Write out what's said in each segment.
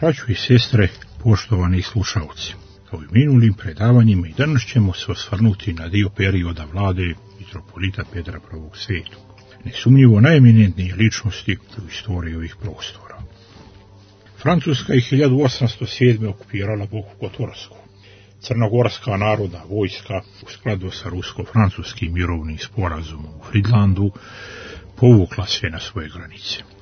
Braćo i sestre, poštovani slušalci, kao i minulim predavanjima i danas ćemo se osvrnuti na dio perioda vlade mitropolita Petra I. Svetog, nesumnjivo najeminentnije ličnosti u istoriji ovih prostora. Francuska je 1807. okupirala Boku Kotorsku. Crnogorska narodna vojska, u skladu sa rusko-francuskim mirovnim sporazumom u Fridlandu, povukla se na svoje granice.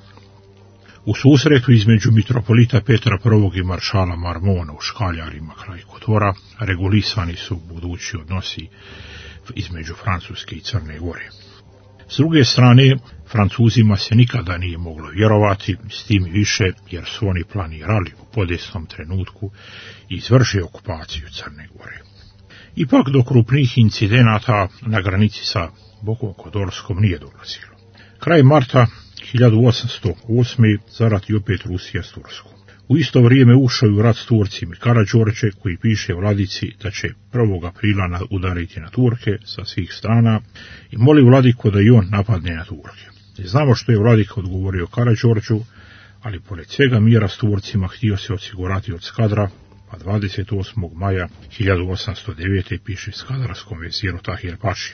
U susretu između mitropolita Petra I. i maršala Marmona u Škaljarima kraj Kotora regulisani su budući odnosi između Francuske i Crne Gore. S druge strane, Francuzima se nikada nije moglo vjerovati, s tim više jer su oni planirali u podesnom trenutku izvršiti okupaciju Crne Gore. Ipak do krupnih incidenata na granici sa Bokom Kotorskom nije dolazilo. Kraj marta 1808. zarati opet Rusija s Turskom. U isto vrijeme ušao u rat s Turcima Karađorđe, koji piše vladici da će 1. aprila udariti na Turke sa svih strana i moli vladiku da i on napadne na Turke. Znamo što je vladika odgovorio Karađorđu, ali pored svega mira s Turcima htio se osigurati od Skadra, pa 28. maja 1809. piše skadarskom veziru Tahir Paši.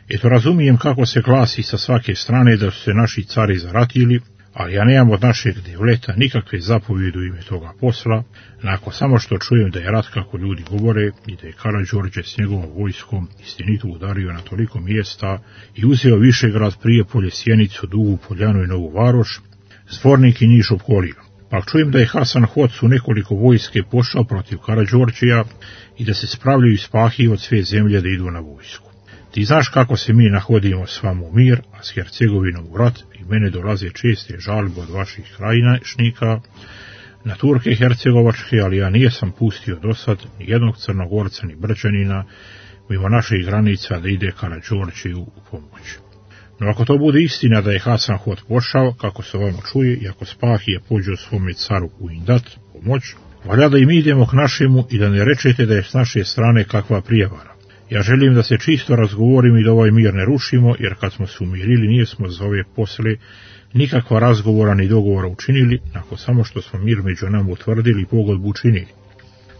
Eto, razumijem kako se glasi sa svake strane da su se naši cari zaratili, ali ja nemam od našeg devleta nikakve zapovjede u ime toga posla, nakon samo što čujem da je rat kako ljudi govore i da je Karađorđe s njegovom vojskom istinito udario na toliko mjesta i uzeo Višegrad, Prijepolje, Sjenicu, Dugu Poljanu i Novu Varoš, Zvornik i Niš opkolio. Pa čujem da je Hasan Hoc u nekoliko vojske pošao protiv Karađorđija i da se spravljaju iz Pahije od sve zemlje da idu na vojsku. Ti znaš kako se mi nahodimo s vama u mir, a s Hercegovinom u rat, i mene dolaze česte žalbe od vaših krajinašnika na Turke hercegovačke, ali ja nijesam pustio do sad ni jednog Crnogorca ni Brčanina mimo naših granica da ide Karađorđiju u pomoć. No ako to bude istina da je Hasan Hoc pošao, kako se ovamo čuje, i ako Spahije pođe svome caru u Indat pomoć, valja da i mi idemo k našemu i da ne rečete da je s naše strane kakva prijevara. Ja želim da se čisto razgovorimo i da ovaj mir ne rušimo, jer kad smo se umirili nijesmo za ove posle nikakva razgovora ni dogovora učinili, nakon samo što smo mir među nama utvrdili i pogodbu učinili.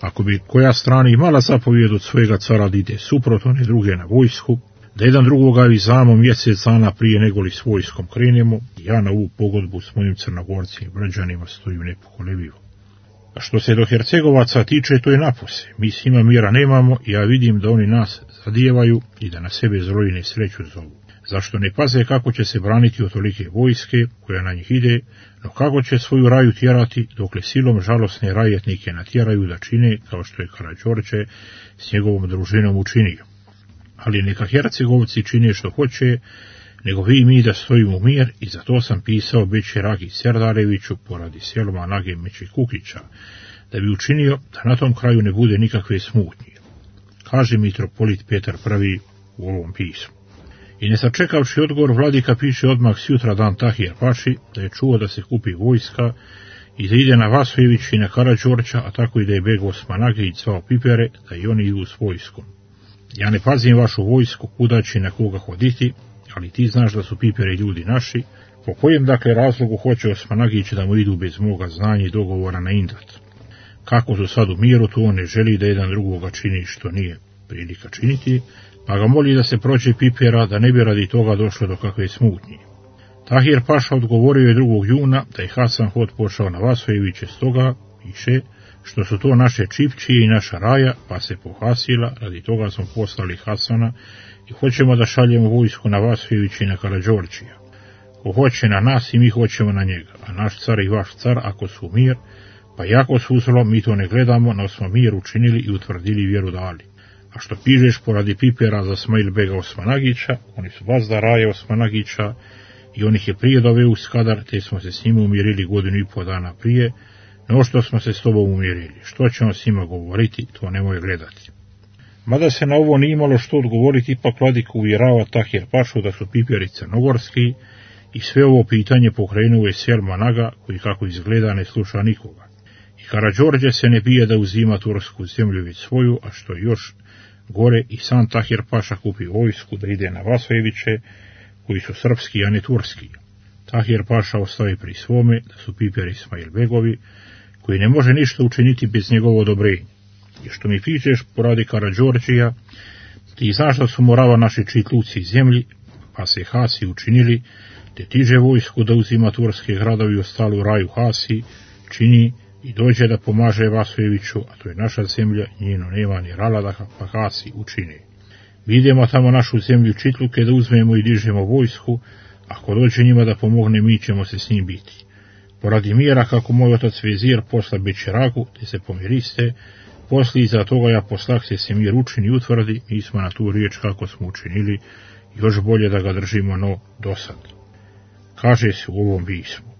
Ako bi koja strana imala zapovjed od svojega cara da ide suprotno one druge na vojsku, da jedan drugoga vizamo mjesec dana prije nego li s vojskom krenemo, ja na ovu pogodbu s mojim Crnogorcima i Brđanima stojim nepokolebivo. A što se do Hercegovaca tiče, to je napose. Mi s njima mira nemamo i ja vidim da oni nas zadijevaju i da na sebe zlo i nesreću zovu. Zašto ne paze kako će se braniti od tolike vojske koja na njih ide, no kako će svoju raju tjerati, dokle silom žalosne rajetnike natjeraju da čine kao što je Karađorđe s njegovom družinom učinio. Ali neka Hercegovci čine što hoće, nego vi i mi da stojimo u mir, i zato sam pisao Beći Ragi Serdareviću poradi Selma Nage Meći Kukića, da bi učinio da na tom kraju ne bude nikakve smutnje, kaže mitropolit Petar I u ovom pismu. I ne sačekavši odgovor, vladika piše odmah sjutra dan Tahir Paši da je čuo da se kupi vojska i da ide na Vasojević i na Karađorđa, a tako i da je beg Osmanagić zvao Pipere da i oni idu s vojskom. Ja ne pazim vašu vojsku kuda će na koga hoditi, ali ti znaš da su Piperi ljudi naši, po kojem dakle razlogu hoće Osmanagić da mu idu bez moga znanja i dogovora na Indat. Kako su sad u miru, to on ne želi da jedan drugoga čini što nije prilika činiti, pa ga moli da se prođe Pipera, da ne bi radi toga došlo do kakve smutnje. Tahir Paša odgovorio je 2. juna da je Hasan Hoc pošao na Vasojeviće, stoga piše što su to naše čipčije i naša raja, pa se pohasila, radi toga smo poslali Hasana i hoćemo da šaljemo vojsku na Vasojević i na Karađorđija. Ko hoće na nas i mi hoćemo na njega, a naš car i vaš car ako su mir, pa jako su uzelo, mi to ne gledamo, no smo mir učinili i utvrdili vjeru dali. A što pižeš poradi Pipera za Smail bega Osmanagića, oni su vazda raje Osmanagića i on ih je prije doveo u Skadar, te smo se s njima umirili 1,5 dana prije, no što smo se s tobom umirili. Što ćemo s njima govoriti, to nemoj gledati. Mada se na ovo nije imalo što odgovoriti, ipak vladika uvjerava Tahir Pašu da su Piperi crnogorski i sve ovo pitanje pokrenuo je Selma Naga, koji kako izgleda ne sluša nikoga. I Karađorđe se ne bije da uzima tursku zemlju već svoju, a što je još gore, i sam Tahir Paša kupi vojsku da ide na Vasojeviće, koji su srpski, a ne turski. Tahir Paša ostavi pri svome da su Piperi Ismail begovi, koji ne može ništa učiniti bez njegovo odobrenja. I što mi pišeš, poradi Karađorđija, ti znaš da su morava naši čitluci iz zemlji, pa se Hasi učinili, te tiže vojsku da uzima turske gradovi ostali u raju Hasi, čini i dođe da pomaže Vasojeviću, a to je naša zemlja, njeno nema ni rala pa Hasi učini. Mi idemo tamo našu zemlju čitluke da uzmemo i dižemo vojsku, ako dođe njima da pomogne, mi ćemo se s njim biti. Poradi mira, kako moj otac vezir posla Bećeragu, te se pomiriste, posli iza toga ja poslah se mir učini i utvrdi, mi smo na tu riječ kako smo učinili, još bolje da ga držimo no dosad. Kaže se u ovom pismu.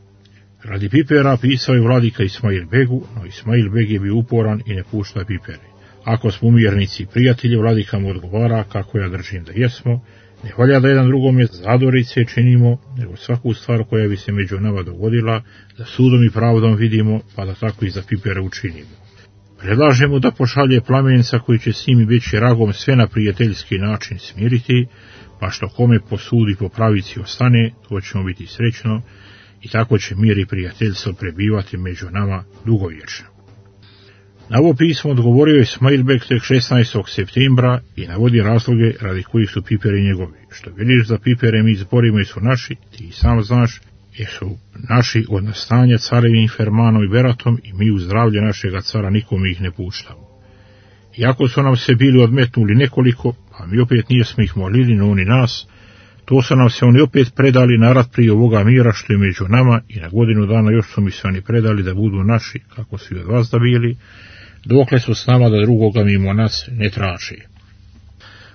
Radi Pipera pisao je vladika Ismail Begu, no Ismail Beg je bio uporan i ne pušta Pipere. Ako smo umjernici i prijatelji, vladika mu odgovara kako ja držim da jesmo, ne valja da jedan drugome zadorice činimo, nego svaku stvar koja bi se među nama dogodila, da sudom i pravdom vidimo, pa da tako i za Pipere učinimo. Predlažemo da pošalje plamenca koji će s njim Bećeragom sve na prijateljski način smiriti, pa što kome po sudu i po pravici ostane, to ćemo biti srećno, i tako će mir i prijateljstvo prebivati među nama dugovječno. Na ovo pismo odgovorio je Ismail Beg tek 16. septembra i navodi razloge radi kojih su Piperi njegovi. Što vidiš za Pipere mi izborimo i su naši, ti i sam znaš, jer su naši od nastanja carevim Fermanom i Beratom i mi u zdravlje našega cara nikome ih ne puštamo. Iako su nam se bili odmetnuli nekoliko, a mi opet nijesmo ih molili, no oni nas, to su nam se oni opet predali na rat prije ovoga mira što je među nama i na godinu dana još su mi se oni predali da budu naši, kako su i od vas da bili, dokle su s nama da drugoga mimo nas ne traži.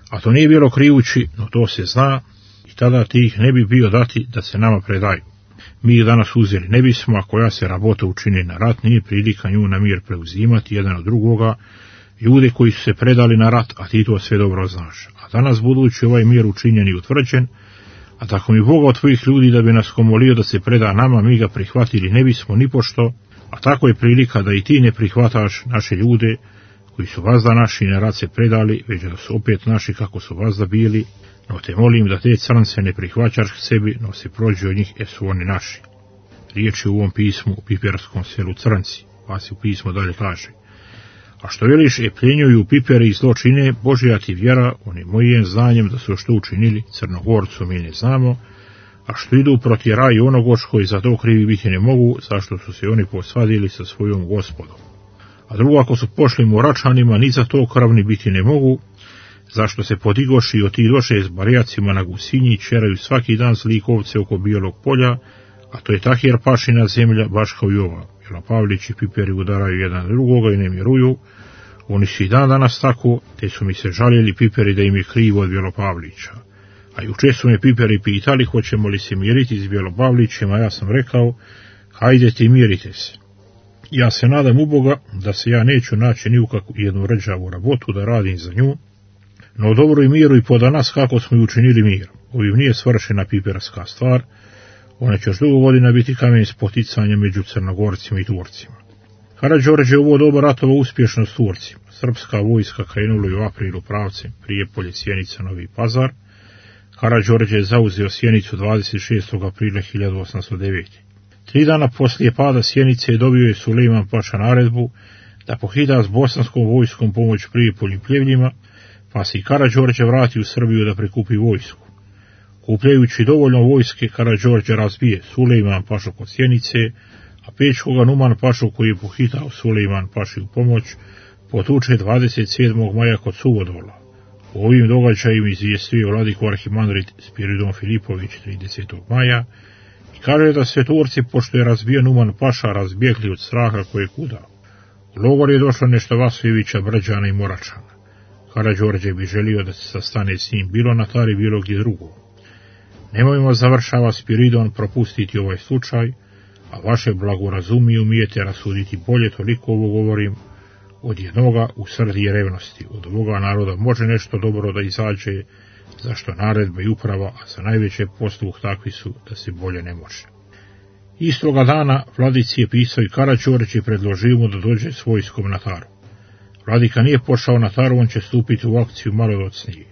A to nije bilo krivući, no to se zna, i tada ti ih ne bi bio dati da se nama predaju. Mi ih danas uzeli ne bismo, ako ja se rabota učini na rat, nije prilika nju na mir preuzimati jedan od drugoga, ljude koji su se predali na rat, a ti to sve dobro znaš. A danas budući ovaj mir učinjen i utvrđen, a tako mi Boga od tvojih ljudi da bi nas komolio da se preda nama, mi ga prihvatili ne bismo ni pošto, a tako je prilika da i ti ne prihvataš naše ljude koji su vazda naši na rat se predali, već da su opet naši kako su vazda bili, no te molim da te crnce ne prihvaćaš k sebi, no se prođe od njih, su oni naši. Riječ je u ovom pismu u piperskom selu Crnci, pa se u pismu dalje kaže. A što veliš pljenjuju Piperi i zločine, Božja ti vjera, oni mojim znanjem da su što učinili Crnogorcu mi ne znamo, a što idu proti raju onogoško i za to krivi biti ne mogu, zašto su se oni posvadili sa svojom gospodom. A drugo, ako su pošli Moračanima, ni za to krvni biti ne mogu, zašto se podigoši i otidoše s barijacima na Gusinji i čeraju svaki dan zlikovce oko Bijelog polja, a to je Tahir Pašina zemlja, baš kao i ova. Pavlić i Piperi udaraju jedan drugoga i ne miruju, oni su i dan danas tako, te su mi se žaljeli Piperi da im je krivo od Bjelopavlića. A juče su me Piperi pitali hoćemo li se miriti s Bjelopavlićem, a ja sam rekao, hajdete mirite se. Ja se nadam u Boga da se ja neću naći ni u kakvu jednu rđavu rabotu da radim za nju, no dobro i miru i poda nas kako smo i učinili mir. Ovim nije svršena piperska stvar, ona će još dugo godina biti kamen spoticanja među Crnogorcima i Turcima. Karađorđe je ovo doba ratova uspješno s Turcima. Srpska vojska krenula je u aprilu pravcem Prijepolje, Sjenica, Novi Pazar. Karađorđe je zauzeo Sjenicu 26. aprila 1809. 3 dana poslije pada Sjenice dobio je Sulejman Paša naredbu da pohida s bosanskom vojskom pomoć Prijepolju i Pljevljima, pa se i Karađorđe vrati u Srbiju da prikupi vojsku. Kupljajući dovoljno vojske, Karađorđe razbije Sulejman Pašu kod Sjenice, a Pečkoga Numan Pašu koji je pohitao Sulejman Paši u pomoć, potuče 27. maja kod Suvodola. U ovim događajima izvijestio vladiko arhimandrit Spiridon Filipović 30. maja i kaže da se Turci, pošto je razbio Numan Paša, razbjegli od straha koje je kudao. U logor je došlo nešto Vasojevića, Brđana i Moračana. Karađorđe bi želio da se sastane s njim bilo na Tari, bilo gdje drugo. Nemojmo, završava Spiridon, propustiti ovaj slučaj, a vaše blagorazumije i umijete rasuditi bolje, toliko ovo govorim, od jednoga u srdi i revnosti. Od ovoga naroda može nešto dobro da izađe, zašto naredba i uprava, a za najveće posluh takvi su da se bolje ne može. Istoga dana vladici je pisao i Karađorđe i predložio mu da dođe s vojskom na Taru. Vladika nije pošao na Taru, on će stupiti u akciju malo docnije,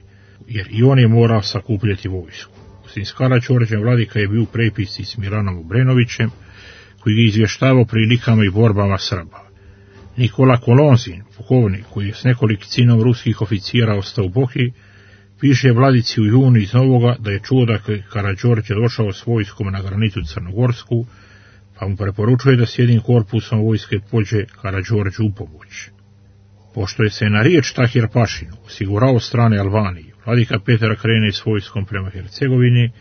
jer i on je morao sakupljati vojsku. S Karađorđem vladika je bio u prepisci s Miranom Obrenovićem, koji je izvještavao prilikama i borbama Srba. Nikola Kolonzin, pukovnik koji je s nekolicinom ruskih oficijera ostao u Bohi, piše vladici u junu iz Novoga da je čuo da Karađorđe došao s vojskom na granicu Crnogorsku, pa mu preporučuje da s jednim korpusom vojske pođe Karađorđe u pomoć. Pošto je se na riječ Tahir Pašinu osigurao strane Albanije, vladika Petar krene s vojskom prema Hercegovini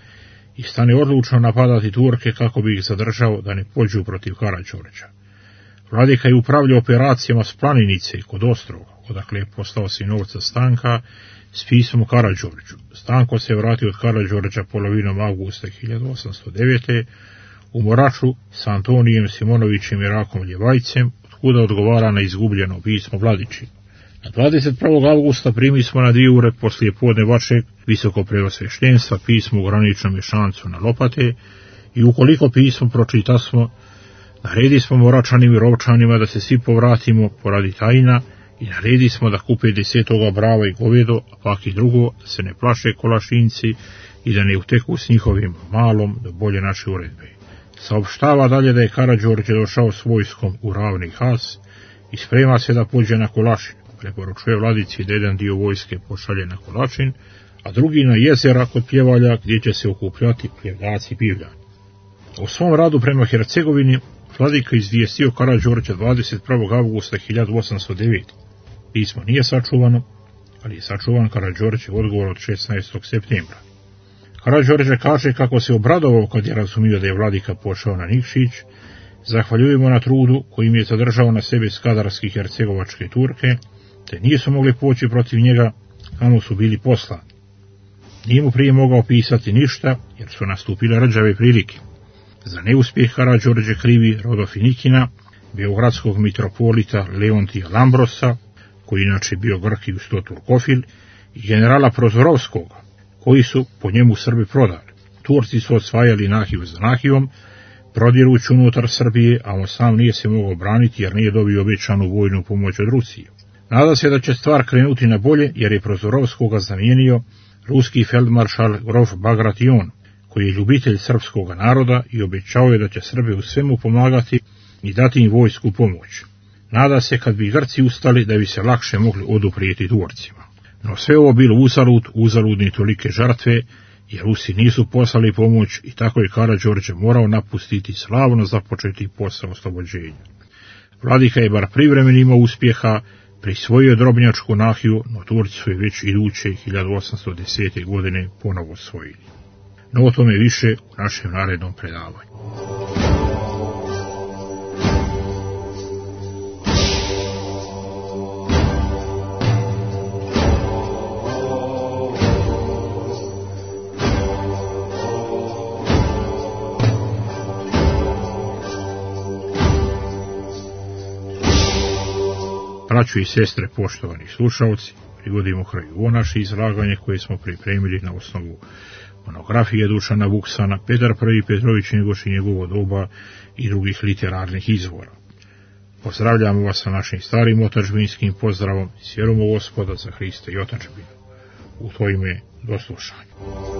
i stane odlučno napadati Turke kako bi ih zadržao da ne pođu protiv Karađorđa. Vladika je upravljao operacijama s Planinice kod Ostroga, odakle je poslao sinovca Stanka s pismom Karađorđu. Stanko se vratio od Karađorđa polovinom avgusta 1809. u Moraču s Antonijem Simonovićem i Rakom Ljevajcem, otkuda odgovara na izgubljeno pismo Vladići. Na 21. avgusta primi smo na 2 ure poslije podne vašeg visokopreosveštenstva pismo u graničnom Ješancu na Lopate i ukoliko pismo pročitasmo, naredi smo Moračanim i Rovčanima da se svi povratimo poradi tajna i naredi smo da kupe 10. brava i govedo, a pak i drugo, da se ne plaše Kolašinci i da ne uteku s njihovim malom do bolje naše uredbe. Saopštava dalje da je Karađorđe došao s vojskom u Ravni Has i sprema se da pođe na Kolašin. Preporučuje vladici da jedan dio vojske pošalje na Kolašin, a drugi na jezera kod Pljevalja gdje će se okupljati Pljevljaci i Pivljani. U svom radu prema Hercegovini vladika izvijestio Karađorđa 21. avgusta 1809. Pismo nije sačuvano, ali je sačuvan Karađorđev odgovor od 16. septembra. Karađorđe kaže kako se obradovao kad je razumio da je vladika pošao na Nikšić, zahvaljujemo na trudu kojim je zadržao na sebi skadarski hercegovačke Turke, te nisu mogli poći protiv njega kamo su bili poslani. Nije mu prije mogao pisati ništa, jer su nastupile rđave prilike. Za neuspjeh Karađorđe krivi Rodofinikina, beogradskog mitropolita Leontija Lambrosa, koji inače bio Grk i uz to Turkofil, i generala Prozorovskog, koji su po njemu Srbi prodali. Turci su osvajali Nahiju za Nahivom, prodirući unutar Srbije, a on sam nije se mogao braniti jer nije dobio obećanu vojnu pomoć od Rusije. Nada se da će stvar krenuti na bolje jer je Prozorovskoga zamijenio ruski feldmaršal grof Bagration, koji je ljubitelj srpskog naroda i obećao je da će Srbi u svemu pomagati i dati im vojsku pomoć. Nada se kad bi Grci ustali da bi se lakše mogli oduprijeti Turcima. No sve ovo bilo uzaludni tolike žrtve, jer Rusi nisu poslali pomoć i tako je Karađorđe morao napustiti slavno započeti posao oslobođenja. Vladika je bar privremeno imao uspjeha, prisvojio Drobnjačku Nahiju, no Turci su je već iduće 1810. godine ponovo osvojili. No o tome više u našem narednom predavanju. Braćo i sestre, poštovani slušalci, privodimo kraju ovo naše izlaganje koje smo pripremili na osnovu monografije Dušana Vuksana, Petar I. Petrović Njegoš i njegovo doba i drugih literarnih izvora. Pozdravljamo vas sa našim starim otadžbinskim pozdravom, s vjerom u Gospoda za Hrista i otadžbinu. U to ime do slušanja.